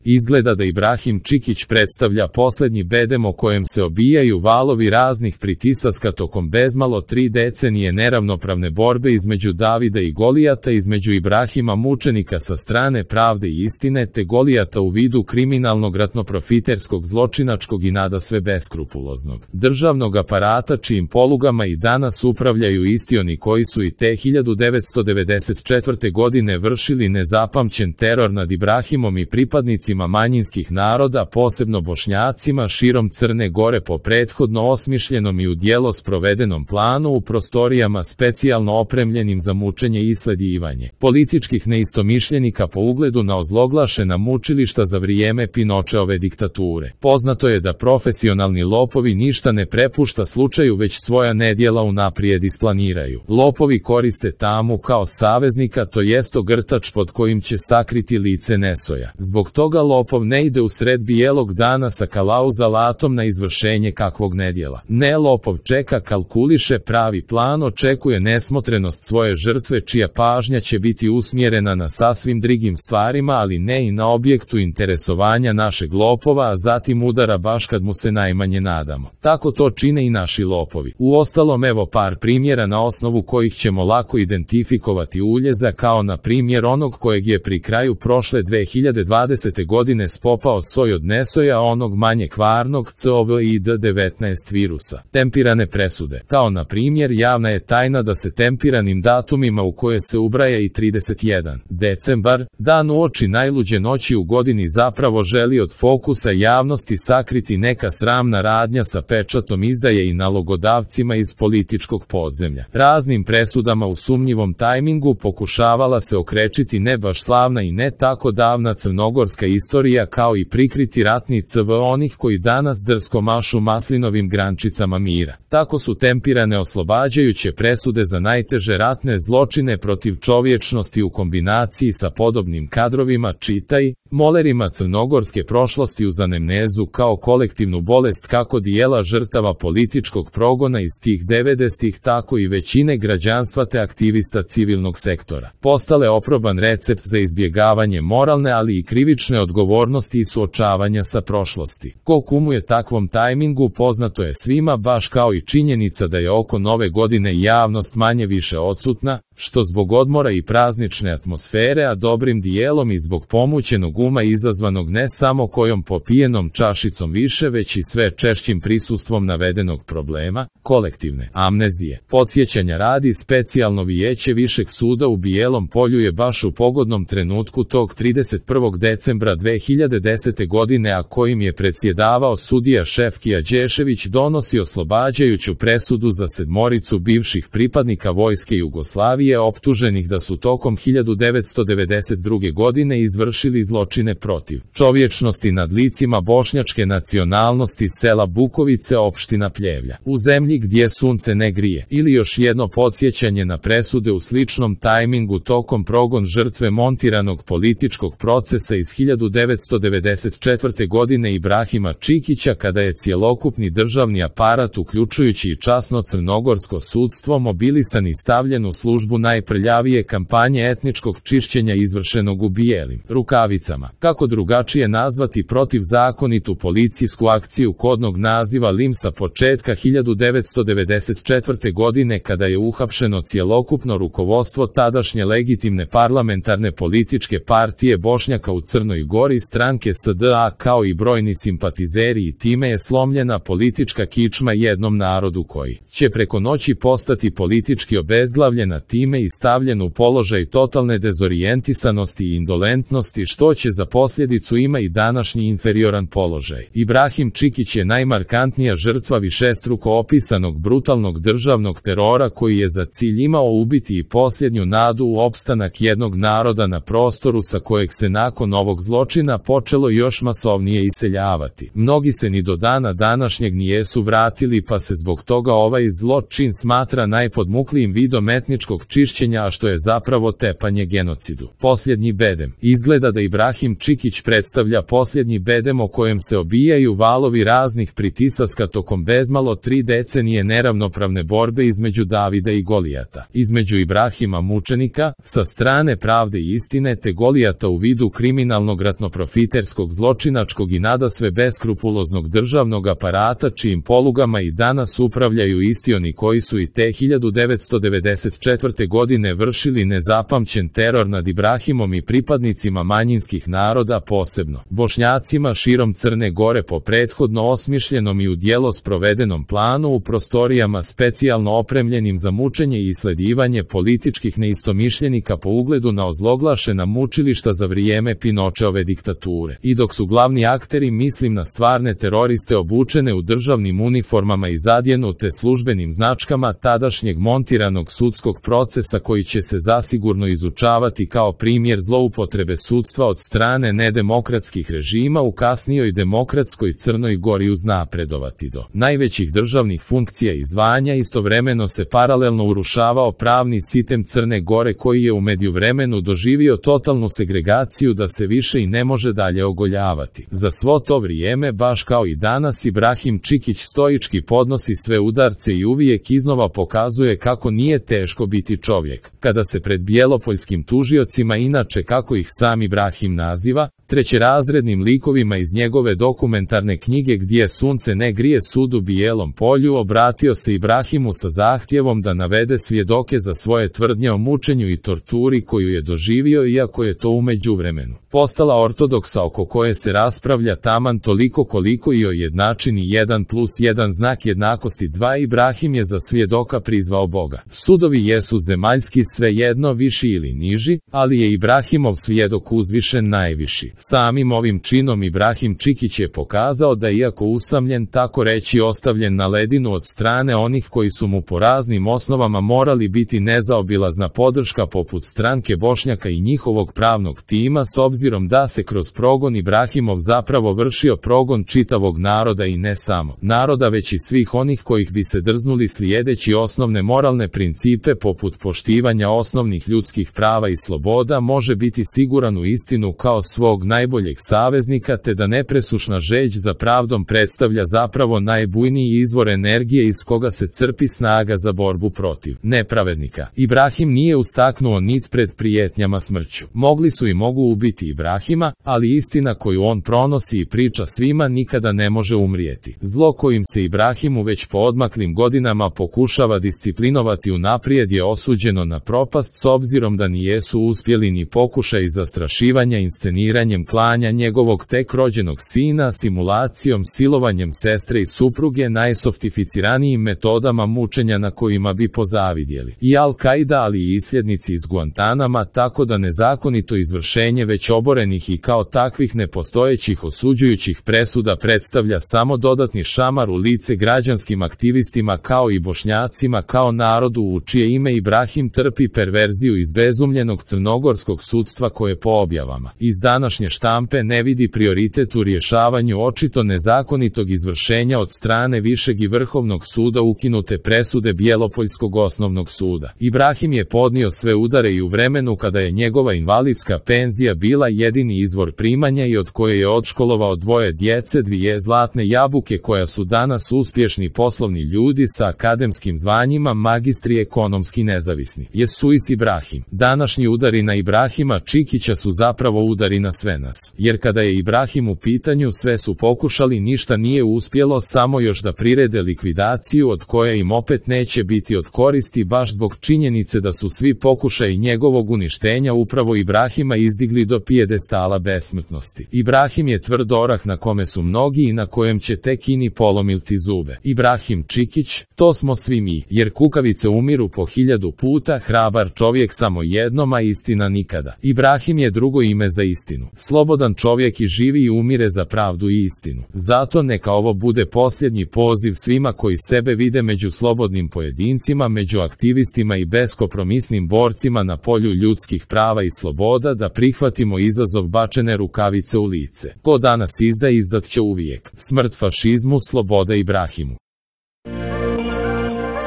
Izgleda da Ibrahim Čikić predstavlja posljednji bedem o kojem se obijaju valovi raznih pritisaska tokom bezmalo 3 decenije neravnopravne borbe između Davida i Golijata, između Ibrahima mučenika sa strane pravde i istine te Golijata u vidu kriminalnog ratnoprofiterskog zločinačkog i nadasve beskrupuloznog državnog aparata čijim polugama i danas upravljaju isti oni koji su i te 1994. godine vršili nezapamćen teror nad Ibrahimom i pripadnicima manjinskih naroda, posebno Bošnjacima širom Crne Gore po prethodno osmišljenom i u djelo sprovedenom planu u prostorijama specijalno opremljenim za mučenje i sledjivanje političkih neistomišljenika po ugledu na ozloglašena mučilišta za vrijeme Pinočeove diktature. Poznato je da profesionalni lopovi ništa ne prepušta slučaju već svoja nedjela unaprijed isplaniraju. Lopovi koriste tamu kao saveznika, to jest ogrtač pod kojim će sakriti lice nesoja. Zbog toga lopov ne ide u sred bijelog dana sa kalauzalatom na izvršenje kakvog nedjela. Ne, lopov čeka, kalkuliše pravi plan, očekuje nesmotrenost svoje žrtve čija pažnja će biti usmjerena na sasvim drugim stvarima, ali ne i na objektu interesovanja našeg lopova, a zatim udara baš kad mu se najmanje nadamo. Tako to čine i naši lopovi. Uostalom, evo par primjera na osnovu kojih ćemo lako identifikovati uljeza, kao na primjer onog kojeg je pri kraju prošle 2020. godine spopao soj od nesoja, onog manje kvarnog COVID-19 virusa. Tempirane presude. Kao na primjer, javna je tajna da se tempiranim datumima u koje se ubraja i 31. decembar, dan uoči najluđe noći u godini, zapravo želi od fokusa javnosti sakriti neka sramna radnja sa pečatom izdaje i nalogodavcima iz političkog podzemlja. Raznim presudama u sumnjivom tajmingu pokušavala se okrečiti ne baš slavna i ne tako davna crnogorska istorija, kao i prikriti ratni CV onih koji danas drsko mašu maslinovim grančicama mira. Tako su tempirane oslobađajuće presude za najteže ratne zločine protiv čovječnosti u kombinaciji sa podobnim kadrovima, čitaj, molerima crnogorske prošlosti uz anemnezu kao kolektivnu bolest kako dijela žrtava političkog progona iz tih 90-ih, tako i većine građanstva te aktivista civilnog sektora. Postale oproban recept za izbjegavanje moralne ali i krivične odgovornosti i suočavanja sa prošlosti. Ko kumuje takvom tajmingu poznato je svima, baš kao i činjenica da je oko nove godine javnost manje više odsutna, što zbog odmora i praznične atmosfere, a dobrim dijelom i zbog pomućenog uma izazvanog ne samo kojom popijenom čašicom više, već i sve češćim prisustvom navedenog problema, kolektivne amnezije. Podsjećanja radi, specijalno vijeće Višeg suda u Bijelom Polju je baš u pogodnom trenutku tog 31. decembra 2010. godine, a kojim je predsjedavao sudija Šefkija Đešević, donosi oslobađajuću presudu za 7 bivših pripadnika vojske Jugoslavije optuženih da su tokom 1992. godine izvršili zločine protiv čovječnosti nad licima bošnjačke nacionalnosti sela Bukovice, opština Pljevlja, u zemlji gdje sunce ne grije. Ili još jedno podsjećanje na presude u sličnom tajmingu tokom progon žrtve montiranog političkog procesa iz 1994. godine Ibrahima Čikića, kada je cjelokupni državni aparat uključujući i časno crnogorsko sudstvo mobilisan i stavljen u službu najprljavije kampanje etničkog čišćenja izvršenog u bijelim rukavicama. Kako drugačije nazvati protivzakonitu policijsku akciju kodnog naziva LIM sa početka 1994. godine, kada je uhapšeno cjelokupno rukovodstvo tadašnje legitimne parlamentarne političke partije Bošnjaka u Crnoj Gori, stranke SDA, kao i brojni simpatizeri, i time je slomljena politička kičma jednom narodu koji će preko noći postati politički obezglavljena, time i stavljen u položaj totalne dezorijentisanosti i indolentnosti, što će za posljedicu ima i današnji inferioran položaj. Ibrahim Čikić je najmarkantnija žrtva višestruko opisanog brutalnog državnog terora koji je za cilj imao ubiti i posljednju nadu u opstanak jednog naroda na prostoru sa kojeg se nakon ovog zločina počelo još masovnije iseljavati. Mnogi se ni do dana današnjeg nijesu vratili, pa se zbog toga ovaj zločin smatra najpodmuklijim vidom etničkog čišćenja, a što je zapravo tepanje genocidu. Posljednji bedem. Izgleda da Ibrahim Čikić predstavlja posljednji bedem o kojem se obijaju valovi raznih pritisaska tokom bezmalo 3 decenije neravnopravne borbe između Davida i Golijata. Između Ibrahima mučenika, sa strane pravde i istine, te Golijata u vidu kriminalnog ratnoprofiterskog zločinačkog i nadasve beskrupuloznog državnog aparata čijim polugama i danas upravljaju isti oni koji su i te 1994. godine vršili nezapamćen teror nad Ibrahimom i pripadnicima manjinskih naroda, posebno Bošnjacima širom Crne Gore, po prethodno osmišljenom i u djelo sprovedenom planu u prostorijama specijalno opremljenim za mučenje i sledivanje političkih neistomišljenika po ugledu na ozloglašena mučilišta za vrijeme Pinočeove diktature. I dok su glavni akteri, mislim na stvarne teroriste obučene u državnim uniformama i zadjenute službenim značkama tadašnjeg montiranog sudskog procesa koji će se zasigurno izučavati kao primjer zloupotrebe sudstva od strane nedemokratskih režima u kasnijoj demokratskoj Crnoj Gori, uznapredovati do najvećih državnih funkcija i zvanja. Istovremeno se paralelno urušavao pravni sistem Crne Gore koji je u međuvremenu doživio totalnu segregaciju da se više i ne može dalje ogoljavati. Za svo to vrijeme, baš kao i danas, Ibrahim Čikić stoički podnosi sve udarce i uvijek iznova pokazuje kako nije teško biti čovjek. Kada se pred bjelopoljskim tužiocima, inače kako ih sam Ibrahim naziva, trećerazrednim likovima iz njegove dokumentarne knjige Gdje sunce ne grije sud u Bijelom polju, obratio se Ibrahimu sa zahtjevom da navede svjedoke za svoje tvrdnje o mučenju i torturi koju je doživio, iako je to u međuvremenu postala ortodoksa oko koje se raspravlja taman toliko koliko i o jednačini 1+1 znak jednakosti 2. Ibrahim je za svjedoka prizvao Boga. Sudovi jesu zemaljski, svejedno viši ili niži, ali je Ibrahimov svjedok uzvišen najviši. Samim ovim činom Ibrahim Čikić je pokazao da, iako usamljen, tako reći ostavljen na ledinu od strane onih koji su mu po raznim osnovama morali biti nezaobilazna podrška poput stranke Bošnjaka i njihovog pravnog tima, s obzirom da se kroz progon Ibrahimov zapravo vršio progon čitavog naroda, i ne samo naroda već i svih onih kojih bi se drznuli slijedeći osnovne moralne principe poput poštivanja osnovnih ljudskih prava i sloboda može biti siguran u istinu kao svog najboljeg saveznika, te da nepresušna žeđ za pravdom predstavlja zapravo najbujniji izvor energije iz koga se crpi snaga za borbu protiv nepravednika. Ibrahim nije ustaknuo nit pred prijetnjama smrću. Mogli su i mogu ubiti Ibrahima, ali istina koju on pronosi i priča svima nikada ne može umrijeti. Zlo kojim se Ibrahimu već po odmaklim godinama pokušava disciplinovati unaprijed je osuđeno na propast, s obzirom da nijesu uspjeli ni pokušaj zastrašivanja insceniranjem klanja njegovog tek rođenog sina, simulacijom, silovanjem sestre i supruge, najsoftificiranijim metodama mučenja na kojima bi pozavidjeli i Al-Qaida, ali i isljednici iz Guantanama, tako da nezakonito izvršenje već oborenih i kao takvih nepostojećih osuđujućih presuda predstavlja samo dodatni šamar u lice građanskim aktivistima kao i Bošnjacima kao narodu u čije ime Ibrahim trpi perverziju izbezumljenog crnogorskog sudstva koje po objavama iz današnje štampe ne vidi prioritet u rješavanju očito nezakonitog izvršenja od strane Višeg i Vrhovnog suda ukinute presude Bjelopoljskog osnovnog suda. Ibrahim je podnio sve udare i u vremenu kada je njegova invalidska penzija bila jedini izvor primanja i od koje je odškolovao 2 djece, 2 zlatne jabuke koja su danas uspješni poslovni ljudi sa akademskim zvanjima, magistri ekonomski nezavisni. Jesuis Ibrahim. Današnji udari na Ibrahima Čikića su zapravo udari na sve nas. Jer kada je Ibrahim u pitanju sve su pokušali, ništa nije uspjelo, samo još da prirede likvidaciju od koje im opet neće biti od koristi baš zbog činjenice da su svi pokušaji njegovog uništenja upravo Ibrahima izdigli do pijedestala besmrtnosti. Ibrahim je tvrd orah na kome su mnogi i na kojem će tek ini polomilti zube. Ibrahim Čikić, to smo svi mi, jer kukavice umiru po 1000 puta, hrabar čovjek samo jednom, a istina nikada. Ibrahim je drugo ime za istinu. Slobodan čovjek i živi i umire za pravdu i istinu. Zato neka ovo bude posljednji poziv svima koji sebe vide među slobodnim pojedincima, među aktivistima i beskompromisnim borcima na polju ljudskih prava i sloboda, da prihvatimo izazov bačene rukavice u lice. Ko danas izdaje, izdat će uvijek. Smrt fašizmu, sloboda Ibrahimu.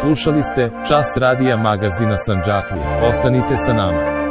Slušali ste Čas radija magazina Sandžaklije. Ostanite sa nama.